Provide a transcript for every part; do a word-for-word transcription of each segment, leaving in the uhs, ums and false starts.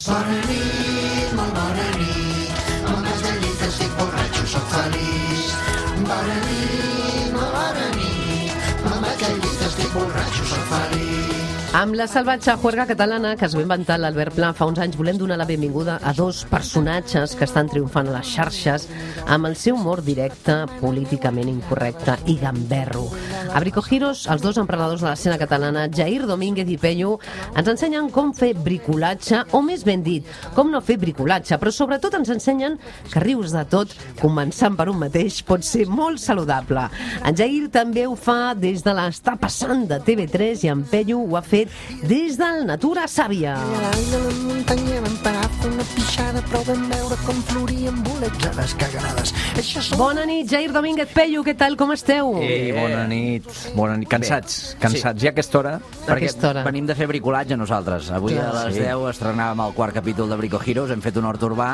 Bona nit, molt bona nit, amb les gallites estic borratxo, soc feliç. Bona nit, molt bona nit, amb les gallites estic borratxo, soc feliç. Amb la salvatge juerga catalana que es va inventar l'Albert Pla fa uns anys, volem donar la benvinguda a dos personatges que estan triomfant a les xarxes amb el seu humor directe, políticament incorrecte i gamberro. A Bricogiros, els dos emprenedors de l'escena catalana, Jair Domínguez i Pello, ens ensenyen com fer bricolatge, o més ben dit, com no fer bricolatge, però sobretot ens ensenyen que rius de tot, començant per un mateix, pot ser molt saludable. En Jair també ho fa des de l'Està passant de T V tres i en Pello ho ha fet des del Natura Sàvia. A dalt de la muntanya vam parar a fer una pixada, però vam veure com florien bolets a les caganades. Això són... Bona nit, Jair Domínguez, Pello, què tal, com esteu? Ei, bona nit. Bona nit. Cansats, cansats. Ja a aquesta hora. Perquè hora. Venim de fer bricolatge nosaltres. Avui Clar, a les sí. deu estrenàvem el quart capítol de Brico Heroes, hem fet un hort urbà.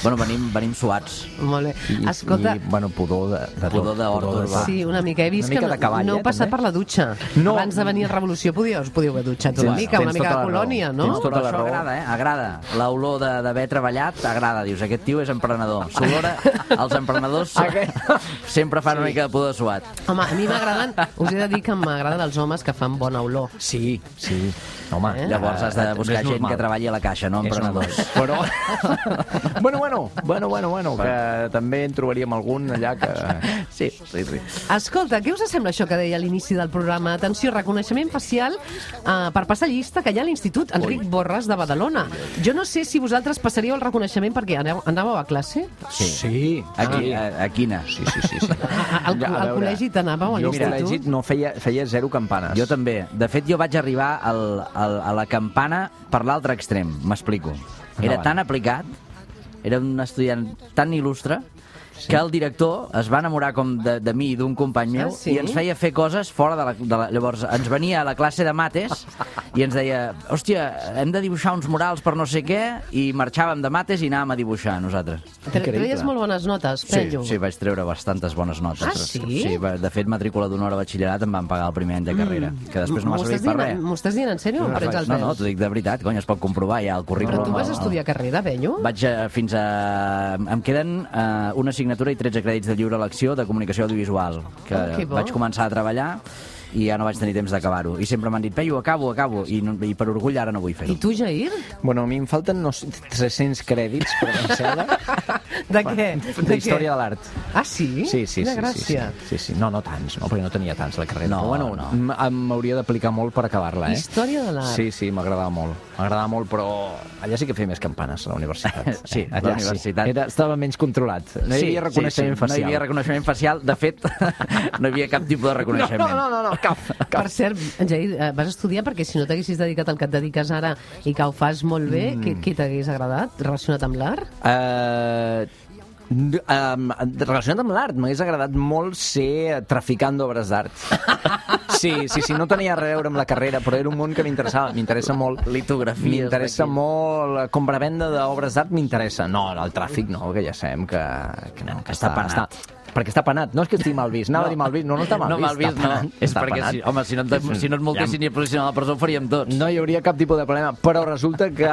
Bueno, venim, venim suats. Molt bé. I, Escolta, i, bueno, pudor de, de Pudor tot. d'hort Pudor de urbà. tot. sí, una mica. He vist Una mica que de cavall, no eh, heu passat també. per la dutxa. No. Abans de venir a Revolució podíeu, us podíeu haver dutxat una Sí, mica, una tens mica tota de la raó. colònia, no? Tens tota Però la això raó. agrada, eh? Agrada. L'olor de- d'haver treballat agrada. Dius, aquest tio és emprenedor. S'olora, els emprenedors sempre fan una mica de pudor suat. Home, a mi m'agraden, us he de dir que m'agraden els homes que fan bona olor. Sí, sí. Home, Eh? Llavors has de eh, buscar és gent normal. que treballi a la caixa, no És emprenedors. normal. Però... bueno, bueno, bueno, bueno, bueno, que també en trobaríem algun allà que... Sí, sí, sí. Escolta, què us sembla això que deia a l'inici del programa? Atenció, reconeixement facial eh, per passar llista que hi ha a l'Institut Enric Borràs de Badalona. Jo no sé si vosaltres passaríeu el reconeixement perquè aneu, anàveu a classe? Sí. Sí. Aquí, a, a quina? Sí, sí, sí. sí. Al, Ja, a al veure, col·legi t'anàveu a Jo al col·legi l'institut? no feia, feia zero campanes. Jo també. De fet, jo vaig arribar al, al, a la campana per l'altre extrem, m'explico. Era Endavant. tan aplicat, era un estudiant tan il·lustre, Sí. que el director es va enamorar com de, de mi i d'un company meu Ah, sí? i ens feia fer coses fora de la, de la... Llavors ens venia a la classe de mates i ens deia, hòstia, hem de dibuixar uns murals per no sé què, i marxàvem de mates i anàvem a dibuixar nosaltres. Tre- Treies molt bones notes, Pello. Sí, sí, vaig treure bastantes bones notes. Ah, sí? Sí, va- de fet, matrícula d'honor a batxillerat em van pagar el primer any de carrera, que després no m'ha M'ho servit estàs per dient- res. M'ho estàs dient en sèrio o em prens els No, no, pèls? t'ho dic de veritat, cony, es pot comprovar ja el currículum. Però tu vas el- estudiar carrera, Pello? Vaig a, fins a... Em queden uh, una assignatura i tretze crèdits de lliure elecció de comunicació audiovisual, que Oh, que bo. vaig començar a treballar i ja no vaig tenir temps d'acabar-ho. I sempre m'han dit, Pello, acabo, acabo, i, no, i per orgull ara no vull fer-ho. I tu, Jair? Bueno, a mi em falten no, sé, tres-cents crèdits per vencer-la. De què? De història de l'art. Ah, sí? Sí, sí, Quina sí, sí, gràcia. sí, sí, sí. No, no tants, no, perquè no tenia tants la carrera. No, però, bueno, no. m- em- m'hauria d'aplicar molt per acabar-la, eh? Història de l'art. Sí, sí, m'agradava molt. M'agradava molt, però allà sí que feia més campanes, a la universitat. Sí, Eh, a allà la universitat. Sí. Era, estava menys controlat. No hi havia reconeixement sí, sí. facial. No hi havia reconeixement facial. De fet, no hi havia cap tipus de reconeixement. No, no, no, no, cap, cap. Per cert, Jair, eh, vas estudiar perquè si no t'haguessis dedicat al que et dediques ara i que ho fas molt bé, mm. què, què t'hagués agradat relacionat amb l'art? Uh, um, relacionat amb l'art, m'hagués agradat molt ser traficant d'obres d'art. Sí, sí, sí, no tenia res a veure amb la carrera, però era un món que m'interessava, m'interessa molt. Litografies M'interessa d'aquí. molt, compra-venda d'obres d'art m'interessa. No, el tràfic no, que ja sabem que, que no, que Està penat. Està, perquè està penat, no és que estigui mal vist, anava No. a dir mal vist, no, no està mal no, vist. mal vist, està no. penat, És està perquè, penat. si, home, si no, et, si no et multessin i et posessin a la presó, ho faríem tots. No hi hauria cap tipus de problema, però resulta que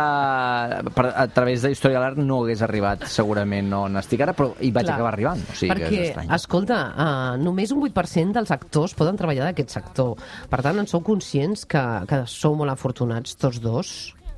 per, a través de Història de l'Art no hagués arribat segurament on estic ara, però hi vaig Clar. acabar arribant. O sigui que Perquè, és estrany. escolta, uh, només un vuit per cent dels actors poden treballar d'aquest sector. Per tant, en sou conscients que, que sou molt afortunats tots dos?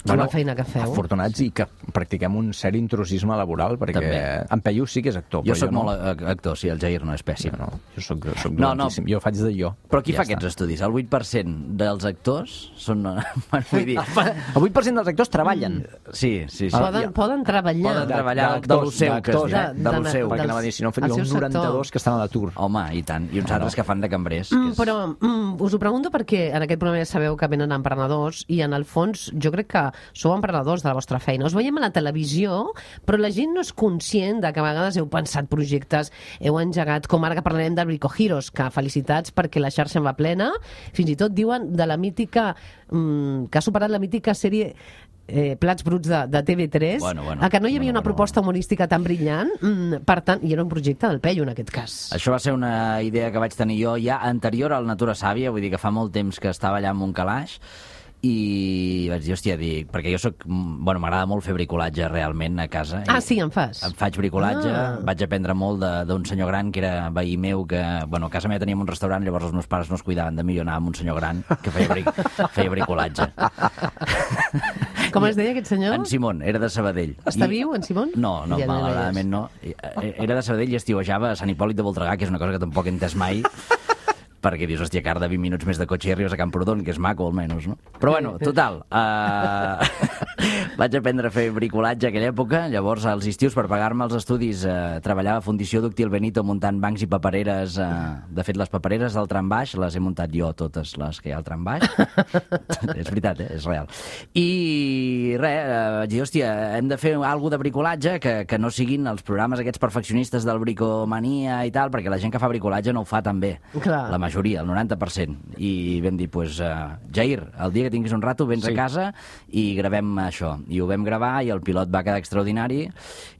Bueno, la feina que feu? Afortunats i que practiquem un cert intrusisme laboral, perquè També. en Pello sí que és actor. Jo però sóc no. molt a- actor, sí, el Jair no és pèssim. No, no, jo soc, soc No, no. dolentíssim. Jo faig de jo. Però qui Ja fa està. aquests estudis? El vuit per cent dels actors són... Bueno, vull dir... El vuit per cent dels actors treballen. Sí, sí, sí. Poden, poden treballar. Poden treballar de, de lo seu, que es d'actors, diu. eh? De, de- lo de- seu. Perquè dels- anava a dir, si no, el hi ha seu uns sector. noranta-dos que estan a l'atur. Home, i tant. I uns altres que fan de cambrers. Mm, que és... però mm, us ho pregunto perquè en aquest programa ja sabeu que venen emprenedors i en el fons jo crec que sou emprenedors de la vostra feina. Us veiem a la televisió, però la gent no és conscient de que a vegades heu pensat projectes, heu engegat, com ara que parlarem de Brico Heroes, que felicitats perquè la xarxa en va plena. Fins i tot diuen de la mítica, mm, que ha superat la mítica sèrie eh, Plats Bruts de, de T V tres, Bueno, bueno. a que no hi havia Bueno, una bueno, proposta humorística tan brillant, mm, per tant, i era un projecte del Pello en aquest cas. Això va ser una idea que vaig tenir jo ja anterior al Natura Sàvia, vull dir que fa molt temps que estava allà amb un calaix, i vaig dir, hòstia, dic, perquè jo soc, bueno, m'agrada molt fer bricolatge realment a casa. Ah, sí, en fas? Em faig bricolatge, Ah. vaig aprendre molt de- d'un senyor gran que era veí meu, que, bueno, a casa meva teníem un restaurant, llavors els meus pares no es cuidaven de mi, jo anava amb un senyor gran que feia, bric, feia bricolatge. Com es deia aquest senyor? En Simon, era de Sabadell. Està I- viu, en Simon? No, no, Ja no hi malauradament no. Era de Sabadell i estiuejava a Sant Hipòlit de Voltregà, que és una cosa que tampoc he entès mai, perquè dius, hòstia, car de vint minuts més de cotxe i arribes a Camprodon, que és maco, almenys, no? Però bueno, total, uh... vaig aprendre a fer bricolatge a aquella època, llavors als estius per pagar-me els estudis uh, treballava a Fundició Dúctil Benito muntant bancs i papereres, uh... de fet les papereres del tram baix les he muntat jo, totes les que hi ha al tram baix. És veritat, eh? És real. I res, uh, vaig dir, hòstia, hem de fer alguna de bricolatge que, que no siguin els programes aquests perfeccionistes del Bricomania i tal, perquè la gent que fa bricolatge no ho fa tan bé. Clar. La majoria, el noranta per cent. I vam dir, pues, uh, Jair, el dia que tinguis un rato vens Sí. a casa i gravem això. I ho vam gravar i el pilot va quedar extraordinari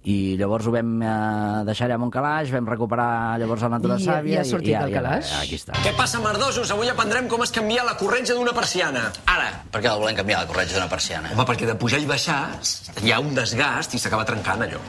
i llavors ho vam uh, deixar allà a Montcalaix, vam recuperar llavors el Natura I- Sàvia. i ha sortit i, el calaix? Aquí està. Què passa, merdosos? Avui aprendrem com es canvia la corretja d'una persiana. Ara, per què la volem canviar, la corretja d'una persiana? Home, perquè de pujar i baixar hi ha un desgast i s'acaba trencant allò.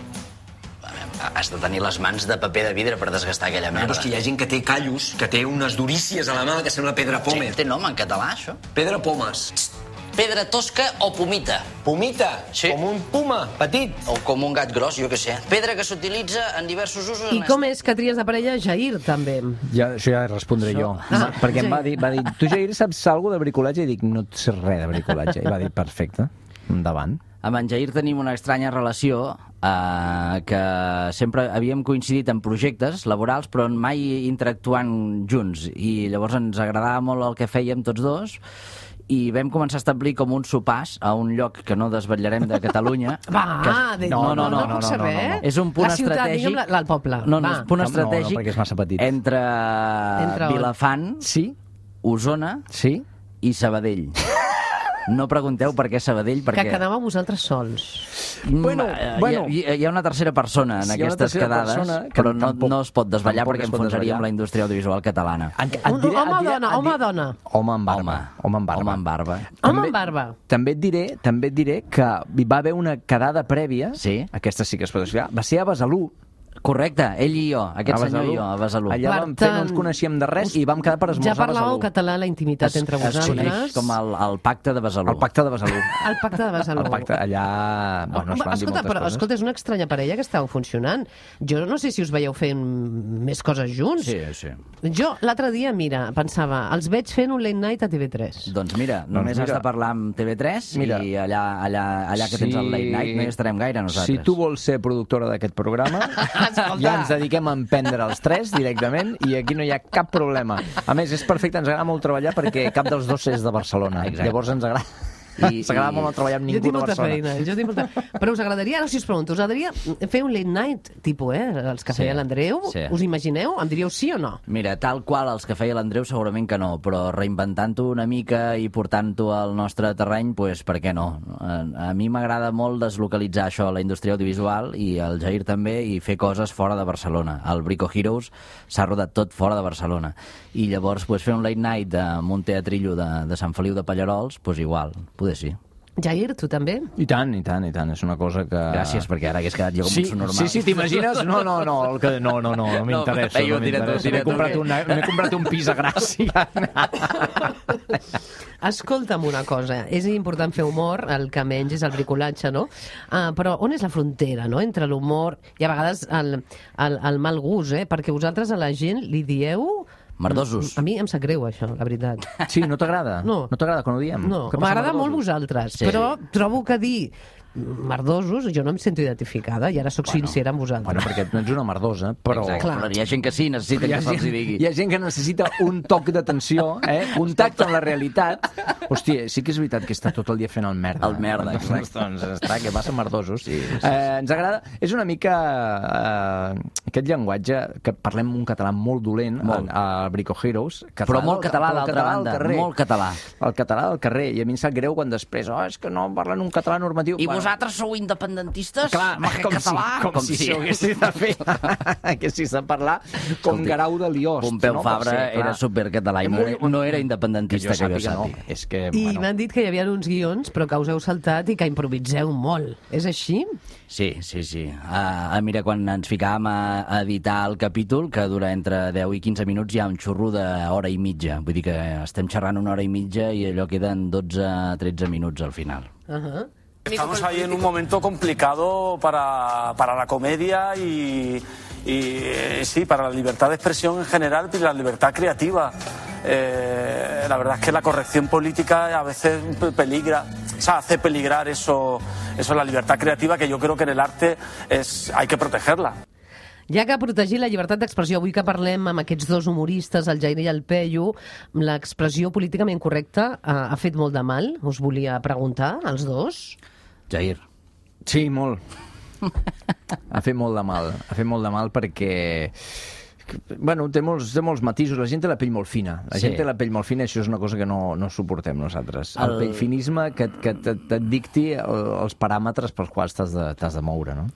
Has de tenir les mans de paper de vidre per desgastar aquella Però merda. és que hi ha gent que té callos, que té unes durícies a la mà que sembla pedra Sí, pome. té nom en català, això? Pedra pomes. Pedra tosca o pomita? Pomita, Sí. com un puma, petit. O com un gat gros, jo què sé. Pedra que s'utilitza en diversos usos... I en com és que tries de parella Jair, també? Ja, això ja respondré jo. Ah, perquè em va Jair. dir, va dir, tu, Jair, saps alguna de bricolatge? I dic, no et sé res de bricolatge. I va dir, perfecte, endavant. Amb en Jair tenim una estranya relació eh, que sempre havíem coincidit en projectes laborals però mai interactuant junts i llavors ens agradava molt el que fèiem tots dos i vam començar a establir com un sopars a un lloc que no desvetllarem de Catalunya. Va, de... No, no, no, no, puc no, saber. no, no, no. És un punt la ciutat, estratègic... digue'm, la, la, el poble. No, no, Va. és un punt No, no, estratègic no, perquè és massa petit. entre, Entre on? Vilafant, Sí? Osona Sí? i Sabadell. No pregunteu per què Sabadell, perquè... Que quedàveu vosaltres sols. Bueno, Mm, eh, bueno. Hi, ha, hi ha una tercera persona en Sí, hi ha una aquestes tercera quedades, persona que però no, tampoc- no es pot desvetllar tampoc perquè es pot enfonsaríem desvetllar. la indústria audiovisual catalana. Et, et Un diré, home o et diré, dona? et Home o diré- dona? Home amb barba. Home. Home amb barba. Home amb barba. Home També- amb barba. També et diré, també et diré que hi va haver una quedada prèvia, Sí. aquesta sí que es pot explicar, va ser a Besalú. Correcte, ell i jo, aquest A senyor Besalú. i jo, a Besalú. Allà Per vam fer, no tant, ens coneixíem de res i vam quedar per Ja esmorzar a parlàveu Besalú. català a la intimitat entre Es coneix vosaltres. com el, el pacte de Besalú. El pacte de Besalú. El pacte de Besalú. El pacte, allà... Bueno, es Home, van dir escolta, moltes però, coses. escolta, és una estranya parella que estàu funcionant. Jo no sé si us veieu fent més coses junts. Sí, sí. Jo l'altre dia, mira, pensava, els veig fent un late night a T V tres. Doncs mira, només mira. has de parlar amb T V tres Mira. i allà, allà, allà que tens el late night no hi estarem gaire nosaltres. Si tu vols ser productora d'aquest programa, Escolta. ja ens dediquem a emprendre els tres directament i aquí no hi ha cap problema. A més, és perfecte, ens agrada molt treballar perquè cap dels dos és de Barcelona. Exacte. Llavors ens agrada... I- Ens agrada i- molt no treballar amb Jo ningú tinc de molta Barcelona. feina. Jo tinc molta... Però us agradaria, ara si us pregunto, us agradaria fer un late night, tipus, eh, els que Sí, feia l'Andreu? sí. Us imagineu? Em diríeu sí o no? Mira, tal qual els que feia l'Andreu segurament que no, però reinventant-ho una mica i portant-ho al nostre terreny, pues, per què no? A, a mi m'agrada molt deslocalitzar això, la indústria audiovisual, i el Jair també, i fer coses fora de Barcelona. El Brico Heroes s'ha rodat tot fora de Barcelona. I llavors pues, fer un late night amb un teatrillo de, de Sant Feliu de Pallarols, pues igual, poder sí. Jair, tu també? I tant, i tant, i tant. És una cosa que... Gràcies, perquè ara hagués quedat jo com Sí, un subnormal. sí, sí, t'imagines? No, no, no, el que... no, no, no, no m'interessa. No, No, tira tu, m'interessa. tira M'he tu, comprat, que- una, m'he comprat un pis a Gràcia. Escolta'm una cosa, és important fer humor, el que menys és el bricolatge, no? Uh, però on és la frontera, no?, entre l'humor i a vegades el, el, el mal gust, eh? Perquè vosaltres a la gent li dieu... Merdosos. A mi em sap greu, això, la veritat. Sí, no t'agrada? No. No t'agrada quan ho diem? No, Què passa, m'agrada molt merdosos? vosaltres, Sí. però trobo que dir merdosos, jo no em sento identificada i ara sóc bueno, sincera amb vosaltres. Bueno, perquè no ets una merdosa, però... Exacte, Clar. però hi ha gent que sí, necessita Hi ha, que se'ls hi gent, digui. hi ha gent que necessita un toc d'atenció, eh? Contacte amb la realitat. Hòstia, sí que és veritat que està tot el dia fent el merda. El merda, Doncs, exacte. doncs està, que passa merdosos. Sí, sí, sí. Eh, ens agrada... És una mica eh, aquest llenguatge que parlem un català molt dolent Molt. a, a Brico Heroes. Català Però molt del- català, però el d'altra català del banda, carrer. molt català. El català del carrer. I a mi em sap greu quan després, oh, és que no parlen un català normatiu. I Bueno, vosaltres sou independentistes? Clar, com català? si, com, com si, si ho haguessis de fer, haguessis de parlar com Escolti, Guerau de Liost. Pompeu no? Fabra Ser, era supercatalà i no era, no era independentista, que jo, que jo sàpiga. No. És que, I bueno. m'han dit que hi havia uns guions, però que us heu saltat i que improviseu molt. És així? Sí, sí, sí. Uh, mira, quan ens ficàvem a, a editar el capítol, que dura entre deu i quinze minuts, hi ha un xurro d'hora i mitja. Vull dir que estem xerrant una hora i mitja i allò queden dotze a tretze minuts al final. Uh -huh. Estamos ahí en un momento complicado para, para la comedia y, y eh, sí, para la libertad de expresión en general y la libertad creativa. Eh, la verdad es que la corrección política a veces peligra, o sea, hace peligrar eso, eso la libertad creativa, que yo creo que en el arte es, hay que protegerla. Ja que protegir la llibertat d'expressió, avui que parlem amb aquests dos humoristes, el Jair i el Peyu, l'expressió políticament correcta ha, ha fet molt de mal? Us volia preguntar, als dos. Jair. Sí, molt. Ha fet molt de mal. Ha fet molt de mal perquè... Bueno, té molts, té molts matisos. La gent té la pell molt fina. La Sí. gent té la pell molt fina, això és una cosa que no, no suportem nosaltres. El, El- el pellfinisme que, que et, et dicti el, els paràmetres pels quals t'has de, t'has de moure, no?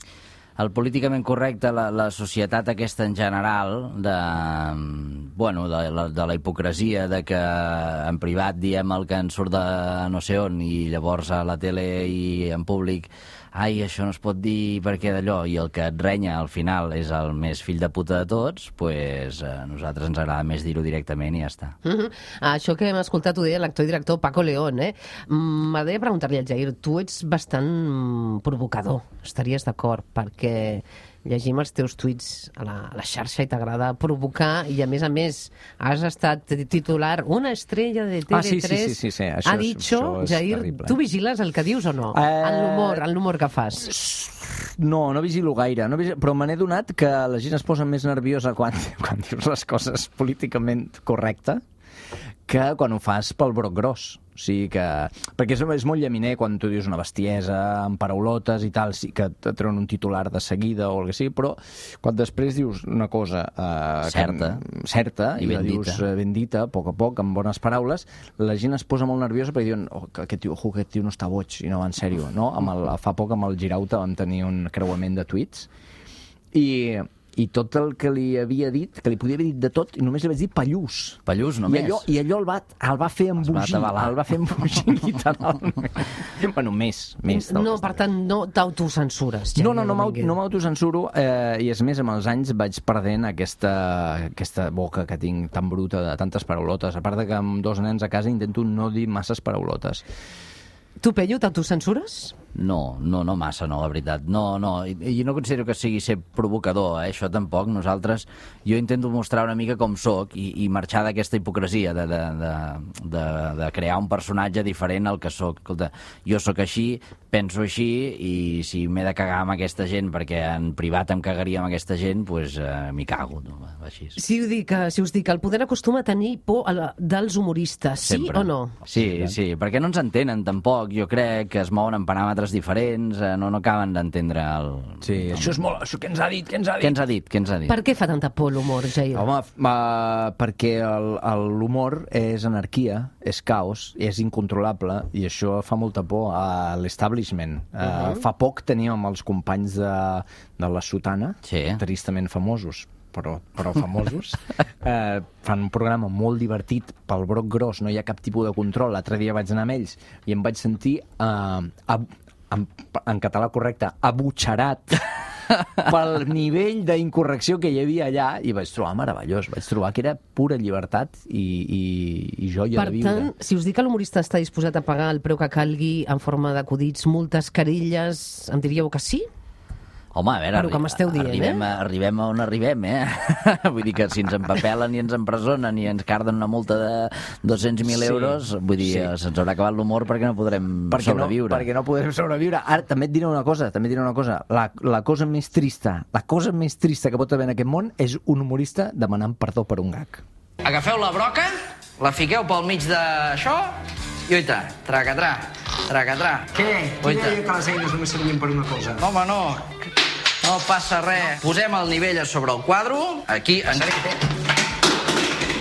El políticament correcte, la, la societat aquesta en general, de, bueno, de, la, de la hipocresia, de que en privat diem el que ens surt de no sé on i llavors a la tele i en públic ai, això no es pot dir perquè d'allò, i el que et renya al final és el més fill de puta de tots, pues, a nosaltres ens agrada més dir-ho directament i ja està. Uh -huh. Això que hem escoltat ho deia l'actor i director Paco León, eh? M'agradaria preguntar-li al Jair, tu ets bastant provocador, estaries d'acord, perquè llegim els teus tuits a la, a la xarxa i t'agrada provocar, i a més a més has estat titular una estrella de T V tres. Ah, sí, sí, sí, sí, sí. Això ha és- dicho, això és Jair, terrible. tu vigiles el que dius o no? Eh, En l'humor, en l'humor que fas. No, no vigilo gaire, no vigilo, però me n'he donat que la gent es posa més nerviosa quan, quan dius les coses políticament correcte que quan ho fas pel broc gros. O sigui que... Perquè és, és molt llaminer quan tu dius una bestiesa amb paraulotes i tal, sí que et treuen un titular de seguida o el que sigui, però quan després dius una cosa eh, Certa. que, certa I i, ben la dius dita. eh, ben dita, a poc a poc, amb bones paraules, la gent es posa molt nerviosa perquè diuen oh, que aquest tio, oh, aquest tio no està boig, i no va en sèrio, no? Amb el, fa poc amb el Girauta vam tenir un creuament de tuits i, i tot el que li havia dit, que li podia haver dit de tot, i només li vaig dir pallús. Pallús, I només. allò, i allò el, va, el va fer va embogir, atabalar. el va fer embogir literalment. Bueno, més, més. del No, que per està. tant, no t'autocensures, Jair No, no, no, m'au- Domínguez. no m'autocensuro, eh, i és més, amb els anys vaig perdent aquesta, aquesta boca que tinc tan bruta de tantes paraulotes. A part de que amb dos nens a casa intento no dir masses paraulotes. Tu, Peyu, t'autocensures? No, no, no massa, no, la veritat. No, no, i, i no considero que sigui ser provocador, eh? Això tampoc. Nosaltres, jo intento mostrar una mica com sóc i, i marxar d'aquesta hipocresia de, de, de, de, de crear un personatge diferent al que sóc. Escolta, jo sóc així, penso així, i si m'he de cagar amb aquesta gent perquè en privat em cagaria amb aquesta gent, doncs eh, m'hi cago, no? Així. Si, ho dic, eh, si us dic, el poder acostuma a tenir por a la, dels humoristes, sí Sempre. o no? Sí, sí, perquè no ens entenen tampoc. Jo crec que es mouen en paràmetres diferents, eh, no, no acaben d'entendre el... Sí, el... això és molt... Això què ens ha dit? Què ens ha dit? Què ens ha dit? Què ens ha dit? Per què fa tanta por l'humor, Jair? Home, uh, perquè el- el- l'humor és anarquia, és caos, és incontrolable, i això fa molta por a l'establishment. Uh, uh-huh. Fa poc teníem amb els companys de, de la Sotana, Sí. tristament famosos, però, però famosos, eh, fan un programa molt divertit pel broc gros, no hi ha cap tipus de control. L'altre dia vaig anar amb ells i em vaig sentir eh, ab, en, en català correcte, abutxerat pel nivell d'incorrecció que hi havia allà, i vaig trobar meravellós, vaig trobar que era pura llibertat i, i, i joia Per de viure. tant, si us dic que l'humorista està disposat a pagar el preu que calgui en forma d'acudits, multes, carilles, em diríeu que sí? Home, a veure, Però que m'esteu dient, arribem, eh? a, arribem a on arribem, eh? Vull dir que si ens empapelen i ens empresonen i ens carden una multa de dos-cents mil Sí, euros, vull dir, sí. se'ns haurà acabat l'humor perquè no podrem perquè sobreviure. No, perquè no podem sobreviure. Ara, també et diré una cosa, també et diré una cosa. La, la cosa més trista, la cosa més trista que pot haver en aquest món és un humorista demanant perdó per un gag. Agafeu la broca, la fiqueu pel mig d'això i oita, tracatrà, tracatrà. Què? Qui Oita. deia que les eines només servien per una cosa? No, home, no. No passa res. Posem el nivell a sobre el quadre. Aquí, en...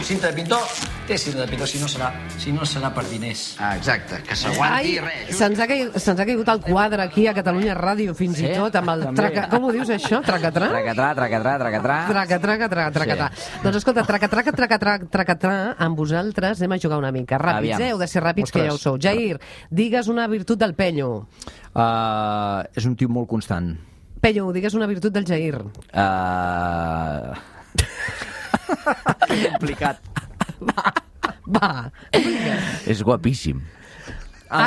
Cinta de pintor, té sida de pito, si no serà, si no serà per diners. Ah, exacte, que s'aguanti Ai, res. se'ns ha, caigut, se'ns ha caigut el quadre aquí a Catalunya Ràdio, fins i tot, amb el traca... Com ho dius, això? Tracatrà? Tracatrà, tracatrà, tracatrà. Traca, traca, traca, tracatrà. Doncs escolta, traca, traca, traca, traca, tracatrà, amb vosaltres anem a jugar una mica. Ràpids, Aviam. eh? Heu de ser ràpids, que ja ho sou. Jair, digues una virtut del Penyo. Uh, és un tio molt constant. Penyo, digues una virtut del Jair. Uh... Complicat. Va. És guapíssim. Ah,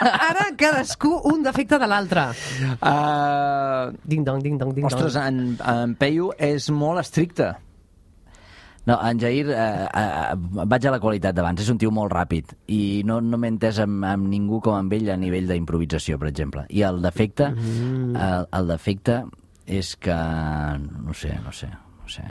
ara cadascú un defecte de l'altre. Uh, Ding-dong, ding-dong, ding-dong. ostres, en, en Peyu és molt estricte. No, en Jair, eh, eh, vaig a la qualitat d'abans, és un tio molt ràpid i no, no m'he entès amb, amb ningú com amb ell a nivell d'improvisació, per exemple. I el defecte, mm. el, el defecte és que, no sé, no sé, no sé...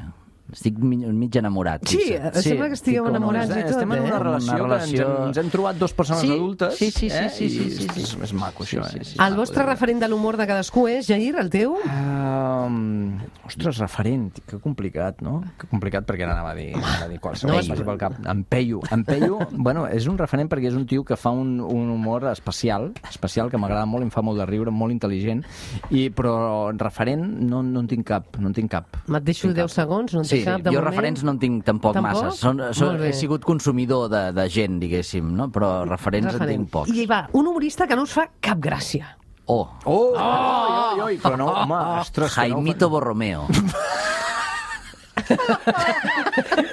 Estic mig, mig enamorat. Sí, potser. sembla que estigueu com- enamorats i tot, Estem en una eh? relació, Una relació- que ens, hem, ens hem trobat dos persones Sí, adultes. sí, sí, sí, eh? sí, sí, I sí, sí. És, és maco, això. Sí, Eh? sí, sí. El vostre referent de l'humor de cadascú és, Jair, el teu? Um, ostres, referent, que complicat, no? Que complicat perquè ara anava a dir, anava a dir qualsevol No, no, pel cap. En Peyu. En Peyu, bueno, és un referent perquè és un tio que fa un, un humor especial, especial, que m'agrada molt, em fa molt de riure, molt intel·ligent, i, però referent no, no en tinc cap, no en tinc cap. Me't deixo deu segons, no en Sí, té cap de jo moment? referents no en tinc tampoc, Tampoc? massa. Són, són, Molt bé. he sigut consumidor de, de gent, diguéssim, no? Però referents en tinc pocs. I va, un humorista que no us fa cap gràcia. Oh, Oh! oh! Oi, oi, però no, home, ostres, que no... Jaimito Borromeo.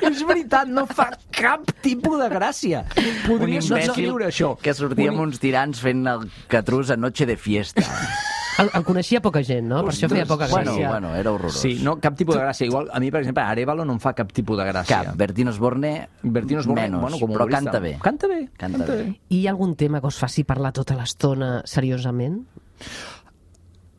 És veritat, no fa cap tipus de gràcia. Podries no escriure això. que sortia amb uns tirants fent el catrús a Noche de Fiesta. El, el coneixia poca gent, no? Per això feia poca Bueno, gràcia. bueno, era horrorós. Sí, no, cap tipus de gràcia. Igual, a mi, per exemple, Arévalo no em fa cap tipus de gràcia. Cap. Bertín Osborne, Bertín Osborne, menys, bueno, com a però humorista. canta bé. Canta bé. Canta bé. I hi ha algun tema que us faci parlar tota l'estona seriosament?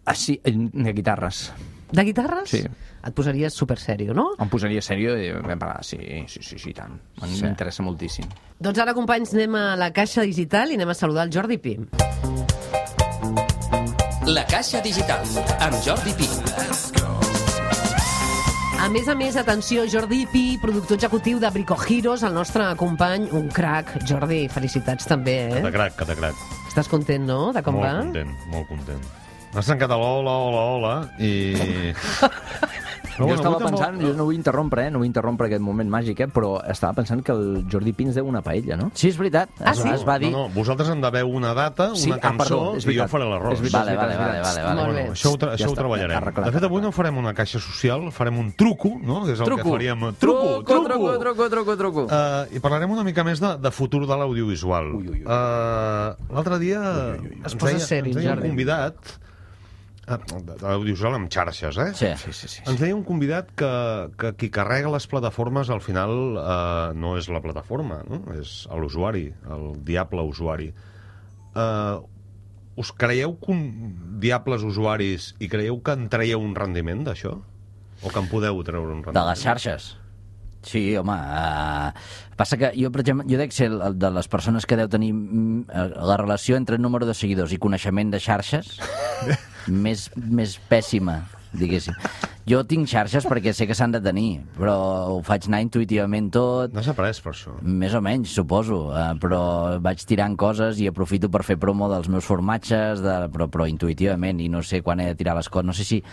Ah, sí, de guitarres. De guitarres? Sí. Et posaries super sèrio, no? Em posaria sèrio i vam parlar. Sí, sí, sí, sí, tant. M'interessa sí. moltíssim. Doncs ara, companys, anem a la caixa digital i anem a saludar el Jordi Pi. La Caixa Digital, amb Jordi Pi. A més a més, atenció, Jordi Pi, productor executiu de Brico Heroes, el nostre company, un crac. Jordi, felicitats també, eh? Catacrac, catacrac. Estàs content, no?, de com molt va? Molt content, molt content. M'has trencat a l'hola, hola, hola, i... Però jo estava pensant, jo no vull interrompre, eh? no vull interrompre aquest moment màgic, eh? però estava pensant que el Jordi Pi ens deu una paella, no? Sí, és veritat. Ah, es, sí? es va dir... No, no, vosaltres em deveu una data, Sí, una ah, cançó, perdó, és i jo veritat. faré l'arròs. És veritat, Vale, vale, és vale, veritat. vale, vale. Molt bé. Bueno, això ho, tra Ja això ho està, treballarem. arreglat, De fet, avui arreglat. no farem una caixa social, farem un truco, no? Que és el Truco. que faríem. Truco, Truco, truco! truco, truco, truco, truco. Uh, I parlarem una mica més de, de futur de l'audiovisual. Uh, L'altre dia Es ens posa deia, seri, ens deia un Jordi. convidat, uh, de l'audiovisual amb xarxes, eh? Sí. Sí, sí, sí. Ens deia un convidat que, que qui carrega les plataformes al final eh, no és la plataforma, no? És l'usuari, el diable usuari. Eh, us creieu que un diables usuaris i creieu que en traieu un rendiment d'això? O que en podeu treure un rendiment? De les xarxes. Sí, home, uh, passa que jo, per exemple, jo dec ser el de les persones que deu tenir mm, la relació entre número de seguidors i coneixement de xarxes més, més pèssima, diguéssim. Jo tinc xarxes perquè sé que s'han de tenir, però ho faig anar intuïtivament tot, No s'ha après per això. més o menys, suposo, uh, però vaig tirant coses i aprofito per fer promo dels meus formatges, de, però, però intuïtivament, i no sé quan he de tirar les coses. No sé si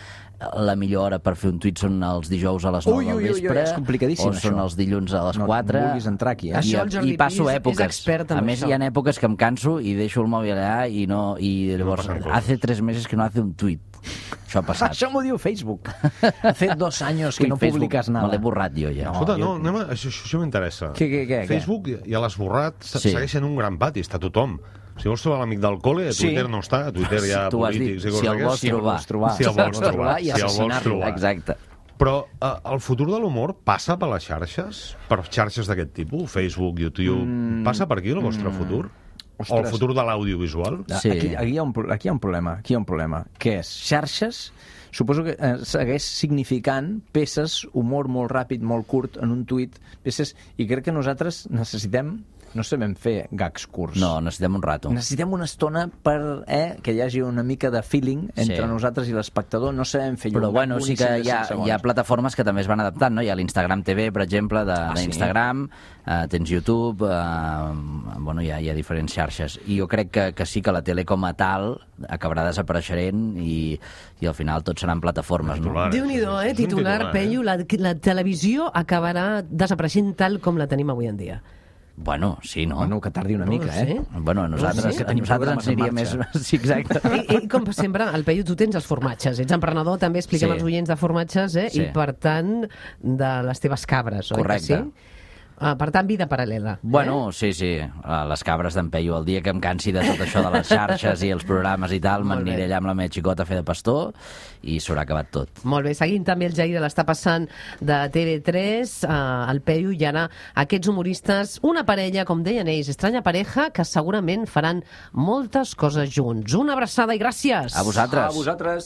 la millor hora per fer un tuit són els dijous a les nou Ui, ui, del ui, ui, vespre, és complicadíssim, o són això. els dilluns a les No, quatre. no vulguis entrar aquí, eh? I, Això el Jordi i passo Pi és- és èpoques. expert en a més, això. hi ha èpoques que em canso i deixo el mòbil allà i, no, i llavors, passen coses. hace tres mesos que no hace un tuit. Això ha passat. Això m'ho diu Facebook. Hace dos años que Ui, no Facebook, publicas nada. Me l'he borrat jo ja. No. Escolta, no, jo- anem a, això, això m'interessa. Què, què, què, què? Facebook ja l'has borrat, se- Sí. segueix sent un gran pati, està tothom. Si vols trobar l'amic del col·le, a Sí. Twitter no està, a Twitter hi ha Tu ho has polítics dit, i coses si el vols d'aquestes. trobar. trobar. Si el vols trobar. i Si el vols assassinar-lo. trobar. Exacte. Però eh, el futur de l'humor passa per les xarxes? Per xarxes d'aquest tipus? Facebook, YouTube... Mm, passa per aquí el vostre mm, futur? O el ostres. futur de l'audiovisual? Sí. Aquí, aquí, hi ha un, pro- aquí hi ha un problema. Aquí hi ha un problema. Què és? Xarxes, suposo que eh, segueix significant peces, humor molt ràpid, molt curt, en un tuit, peces, i crec que nosaltres necessitem no sabem fer gags curts. No, necessitem un rato. Necessitem una estona per eh, que hi hagi una mica de feeling entre Sí. nosaltres i l'espectador. No sabem fer Però un bueno, gag sí que boníssim de hi ha, cinc segons. hi ha plataformes que també es van adaptant, no? Hi ha l'Instagram T V, per exemple, de- Ah, sí? d'Instagram, eh, tens YouTube, eh, bueno, hi ha, hi ha diferents xarxes. I jo crec que, que sí que la tele com a tal acabarà desapareixent i, i al final tot seran plataformes, no? Déu-n'hi-do, eh? Titular, Peyu, la, la televisió acabarà desapareixent tal com la tenim avui en dia. Bueno, sí, no? Bueno, que tardi una No mica, ho sé. eh? Bueno, a nosaltres, Sí, a tenim nosaltres programes ens en aniria més... marxa. Sí, exacte. I, I com sempre, el Peyu, tu tens els formatges. Ets emprenedor, també expliquem Sí. als oients de formatges, eh? Sí. I per tant, de les teves cabres, oi que Correcte. sí? Uh, per tant, vida paral·lela. Bueno, sí, sí, uh, les cabres d'en Peyu. El dia que em cansi de tot això de les xarxes i els programes i tal, Molt bé. m'aniré allà amb la meva xicota a fer de pastor i s'haurà acabat tot. Molt bé, seguint també el Jair de l'està passant de T V tres, eh, el Peyu i ara aquests humoristes, una parella, com deien ells, estranya pareja, que segurament faran moltes coses junts. Una abraçada i gràcies! A vosaltres. A vosaltres.